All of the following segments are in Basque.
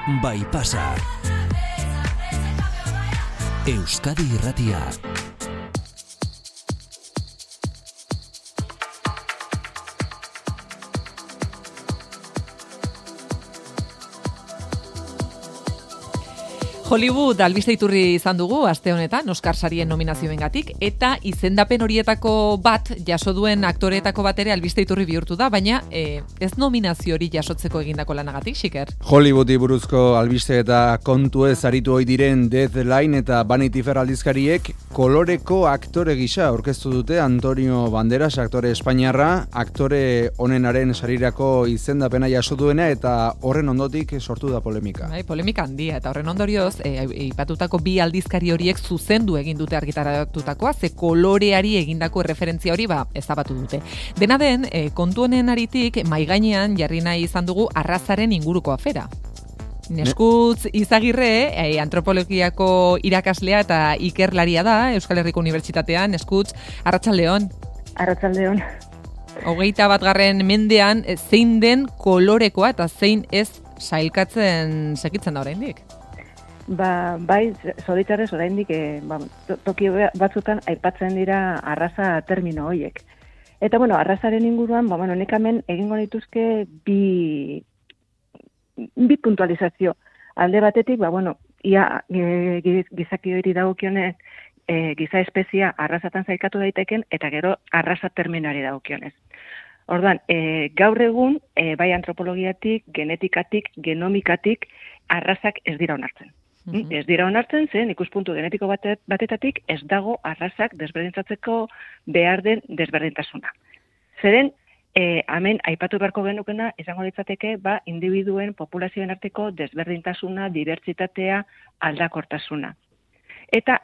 Bai pasa. Euskadi Irratia. Hollywood albiste iturri izan dugu aste honetan Oscar sarien nominazioengatik eta izendapen horietako bat jaso duen aktoreetako bat ere albiste iturri bihurtu da, baina ez nominazio hori jasotzeko egindako lanagatik, Xiker. Hollywoodi buruzko albiste eta kontu ez aritu ohi diren Deadline eta Vanity Fair aldizkariek koloreko aktore gisa aurkeztu dute Antonio Banderas, aktore espainiarra, aktore onenaren sarirako izendapena jaso duena eta horren ondotik sortu da polemika. Bai, polemika handia eta horren ondorioz ipatutako bi aldizkari horiek zuzendu egin dute argitaratutakoa, ze koloreari egindako erreferentzia hori ezabatu dute. Dena den, kontu honen aritik, mai gainean jarri nahi izan dugu arrazaren inguruko afera. Neskutz Izagirre, antropologiako irakaslea eta ikerlaria da, Euskal Herriko Unibertsitatean. Neskutz, arratsaldeon. Arratsaldeon. 21. mendean zein den kolorekoa eta zein ez sailkatzen segitzen da oraindik. Bai, zoritxarrez oraindik toki batzutan aipatzen dira arraza termino horiek. Eta arrazaren inguruan, nik hemen egingo dituzke bi puntualizazio. Alde batetik, ia gizaki hori dagokionez, giza espezia arrazatan zailkatu daiteken, eta gero arraza terminoari dagokionez. Orduan, gaur egun, bai antropologiatik, genetikatik, genomikatik, arrazak ez dira onartzen. Ez dira onartzen, zen ikuspuntu genetiko batetatik ez dago arrazak desberdintzatzeko behar den desberdintasuna. Zeren, hemen aipatu beharko genukena, izango litzateke, individuen populazioen arteko desberdintasuna, dibertsitatea, aldakortasuna. Eta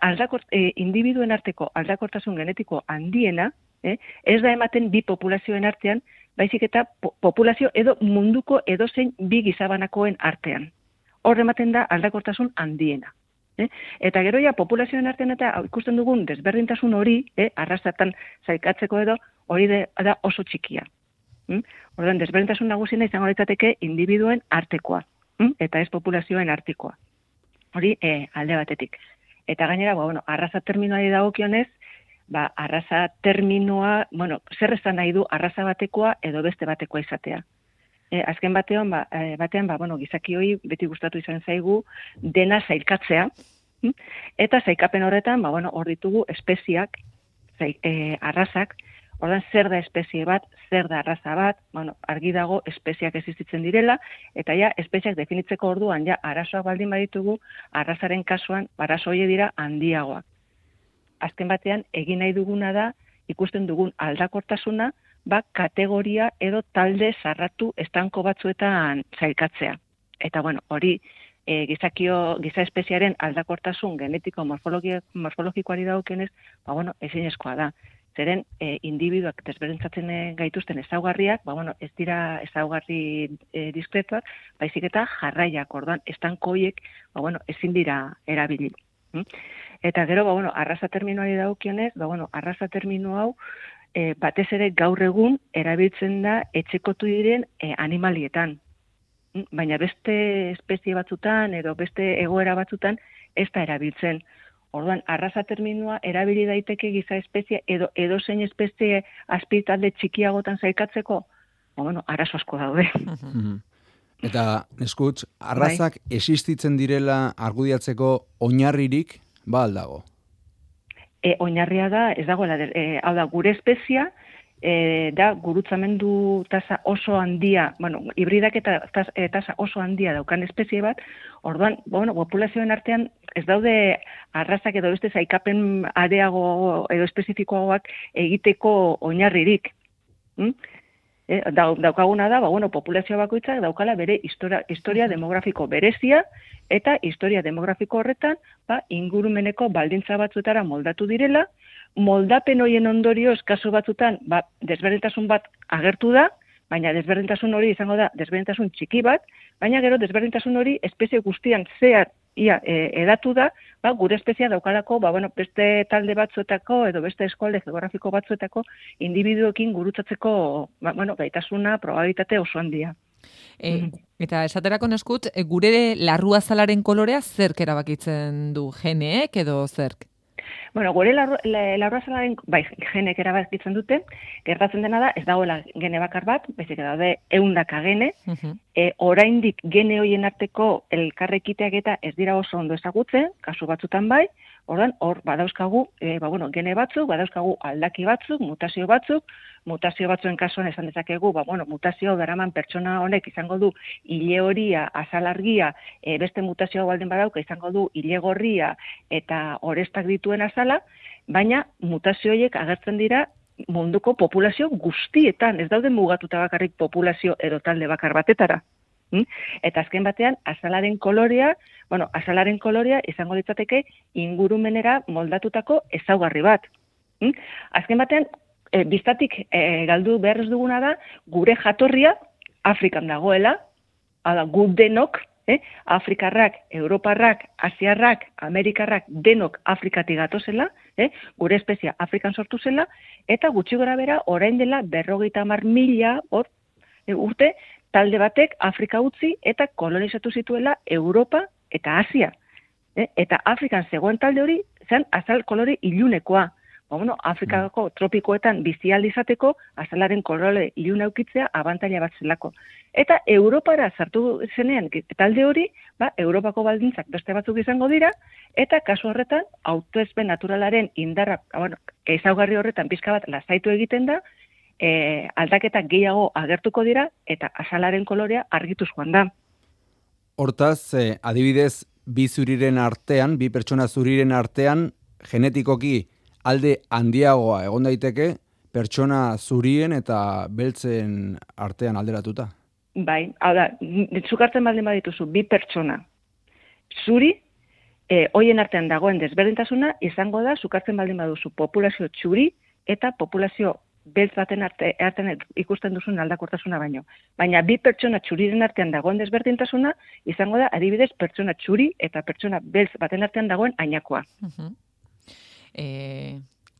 individuen arteko aldakortasun genetiko handiena, ez da ematen bi populazioen artean, baizik eta populazio edo munduko edozein bi gizabanakoen artean. Hor ematen da aldakortasun handiena. Eta gero populazioen artean eta ikusten dugun desberdintasun hori, arrazatan zailkatzeko edo, hori da oso txikia. Orduan, desberdintasun nagusiena izango litzateke individuen artekoa, eta ez populazioen artekoa. Hori alde batetik. Eta gainera, arraza terminoari dagokionez, arraza terminoa, zer esan nahi du arraza batekoa edo beste batekoa izatea. Azken batean, gizaki hori beti gustatu izan zaigu dena zailkatzea, eta zailkapen horretan, hor ditugu espeziak, arrazak, ordan zer da espezie bat, zer da arraza bat, argi dago espeziak existitzen direla, eta espeziak definitzeko orduan, arazoak baldin baditugu, arrazaren kasuan, arazo horiek dira handiagoak. Azken batean, egin nahi duguna da, ikusten dugun aldakortasuna, kategoria edo talde zarratu estanko batzuetan zailkatzea. Eta hori giza espeziaren aldakortasun genetiko morfologikoari dagokionez, ezinezkoa da. Zeren individuak desberdintzatzen gaituzten ezaugarriak, ez dira ezaugarri diskretuak, baizik eta jarraiak, orduan estanko horiek ezin dira erabili. Eta gero, arraza terminoari dagokionez, arraza termino hau batez ere gaur egun erabiltzen da etxekotu diren animalietan. Baina beste espezie batzutan edo beste egoera batzutan ez da erabiltzen. Orduan, arraza terminoa erabili daiteke giza espezie edo edozein espezie azpitalde txikiagotan zailkatzeko, arazo asko daude. Eta, Neskutz, arrazak existitzen direla argudiatzeko oinarririk aldago? Oinarria da, ez dagoela, hau da, gure espezia, da gurutzamendu tasa oso handia, hibridak eta tasa oso handia daukan espezie bat, orduan, populazioen artean ez daude arrazak edo beste zailkapen areago edo espezifikoagoak egiteko oinarririk. Daukaguna da, populazio bakoitzak daukala bere historia demografiko berezia, eta historia demografiko horretan, ingurumeneko baldintza batzuetara moldatu direla, moldapen horien ondorioz kasu batzutan, desberdintasun bat agertu da, baina desberdintasun hori izango da desberdintasun txiki bat, baina gero desberdintasun hori espezie guztian zehar edatu da, gure espezia daukalako, beste talde batzuetako edo beste eskualde geografiko batzuetako individuekin gurutzatzeko, gaitasuna, probabilitate oso handia. Eta esaterako neskut, gure larruazalaren kolorea zerk erabakitzen du, geneek edo zerk? Bueno, gure larruazalaren, bai, genek erabakitzen dute, gertatzen dena da, ez dagoela gene bakar bat, baizik daude 100 gene, oraindik gene hoien arteko elkarrekiteak eta ez dira oso ondo ezagutzen, kasu batzutan bai, ordan hor badauzkagu, gene batzuk, badauzkagu aldaki batzuk, mutazio batzuen kasuan esan dezakegu, mutazio daraman pertsona honek izango du ile horia, azal argia, beste mutazio baldin badauka izango du ile gorria eta orestak dituen azala, baina mutazio horiek agertzen dira munduko populazio guztietan, ez daude mugatuta bakarrik populazio edo talde bakar batetara. Eta azken batean, azalaren kolorea izango litzateke ingurumenera moldatutako ezaugarri bat. Azken batean, biztatik galdu behar ez duguna da, gure jatorria Afrikan dagoela, gu denok, Afrikarrak, Europarrak, Asiarrak, Amerikarrak, denok Afrikatik gatozela, gure espezia Afrikan sortu zela, eta gutxi gora bera, orain dela 50.000 urte, talde batek Afrika utzi eta kolonizatu zituela Europa eta Asia. Eta Afrikan zegoen talde hori, zen azal kolore ilunekoa. Afrikako tropikoetan bizi ahal izateko azalaren kolore iluna eukitzea abantaila bat zelako. Eta Europara sartu zenean talde hori, Europako baldintzak beste batzuk izango dira, eta kasu horretan autoespen naturalaren indarra, ezaugarri horretan pixka bat lasaitu egiten da, aldaketak gehiago agertuko dira, eta azalaren kolorea argituz joan da. Hortaz, adibidez, bi pertsona zuriren artean, genetikoki alde handiagoa egon daiteke, pertsona zurien eta beltzen artean alderatuta. Bai, hau da, zukartzen baldin badituzu, bi pertsona zuri, hoien artean dagoen desberdintasuna, izango da, zukartzen baldin baduzu populazio txuri eta populazio beltz baten artean ikusten duzun aldakortasuna baino. Baina bi pertsona txuriren artean dagoen desberdintasuna, izango da, adibidez, pertsona txuri eta pertsona beltz baten artean dagoen ainakoa.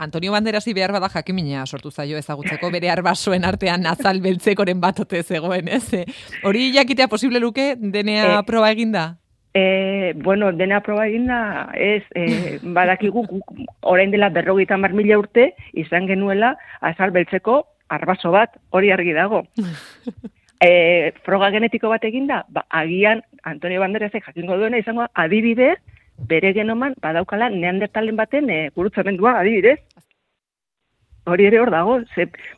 Antonio Banderasi behar bada jakimina sortu zaio ezagutzeko bere arbasoen artean azal beltzekoren bat ote zegoen, ez? Hori jakitea posible luke DNA proba eginda? DNA proba eginda, ez, badakigu orain dela 50.000 urte izan genuela azal beltzeko arbaso bat, hori argi dago. Froga genetiko bat eginda, agian Antonio Banderasek jakingo duena izango adibidez, bere genoman badaukala neandertalen baten gurutsamendua, adibidez. Hori ere hor dago,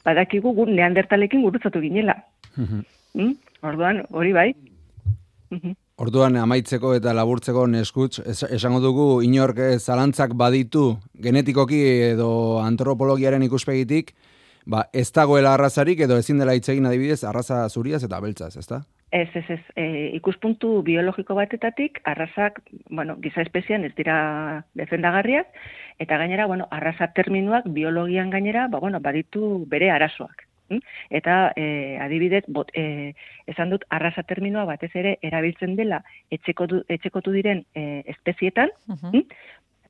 badakigu gu neandertalekin gurutzatu ginela. Orduan, hori bai. Orduan, amaitzeko eta laburtzeko neskutz, esango dugu inork zalantzak baditu genetikoki edo antropologiaren ikuspegitik, ez dagoela arrazarik edo ezin dela hitz egin adibidez arraza zuriaz eta beltzaz, ezta? Ez. Ikuspuntu biologiko batetatik, arrazak, giza espezian ez dira defendagarriak, eta gainera, arraza terminoak biologian gainera, baditu bere arazoak. Eta adibidez, esan dut, arraza terminoa batez ere erabiltzen dela etxekotu diren espezietan,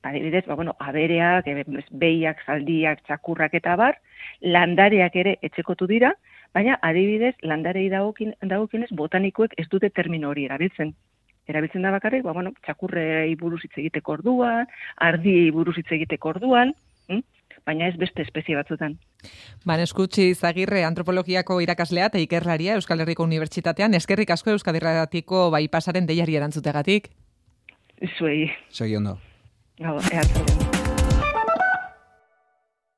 adibidez, abereak, behiak, zaldiak, txakurrak eta bar, landareak ere etxekotu dira, baina adibidez, landarei dagokienez botanikoek ez dute termino hori erabiltzen. Erabiltzen da bakarrik, txakurrei buruz hitz egiteko orduan, ardiei buruz hitz egiteko orduan, baina ez beste espezie batzutan. Eskutsi Izagirre, antropologiako irakaslea eta ikerlaria Euskal Herriko Unibertsitatean, eskerrik asko Euskadi Irratiko Baipasaren deiari erantzutegatik. Zuei. Segi ondo. Eatzen.